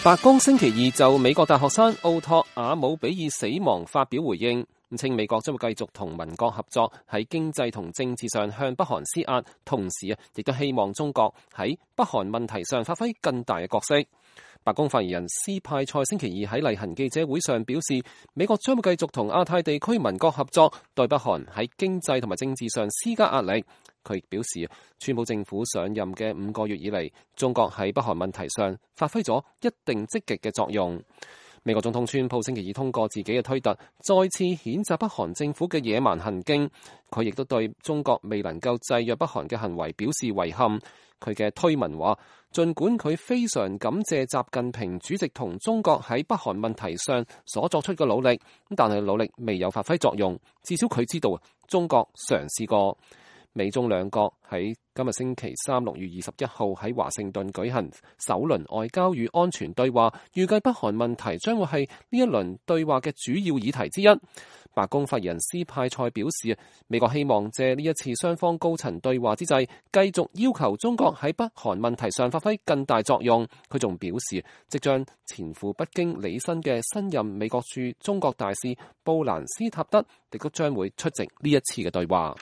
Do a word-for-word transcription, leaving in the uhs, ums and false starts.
白宮星期二就美國大學生奧托瓦姆比爾死亡發表回應，稱美國將會繼續同盟國合作，喺經濟同政治上向北韓施壓，同時啊，亦都希望中國喺北韓問題上發揮更大嘅角色。白宮發言人斯派塞星期二喺例行記者會上表示，美國將會繼續同亞太地區盟國合作，對北韓喺經濟同埋政治上施加壓力。佢亦表示，川普政府上任嘅五個月以嚟，中國喺北韓問題上發揮咗一定積極嘅作用。美國總統川普星期二通過自己嘅推特，再次譴責北韓政府嘅野蠻行徑。佢亦都對中國未能夠制約北韓嘅行為表示遺憾。佢嘅推文話，儘管佢非常感謝習近平主席同中國喺北韓問題上所作出嘅努力，但係努力未有發揮作用。至少佢知道中國嘗試過。美中兩國喺今日星期三六月二十一號喺華盛頓舉行首輪外交與安全對話，預計北韓問題將會係呢一輪對話嘅主要議題之一。白宮發言人斯派塞表示，美國希望借呢一次雙方高層對話之際，繼續要求中國喺北韓問題上發揮更大作用。佢仲表示，即將前赴北京履新嘅新任美國駐中國大使布蘭斯塔德亦都將會出席呢一次嘅對話。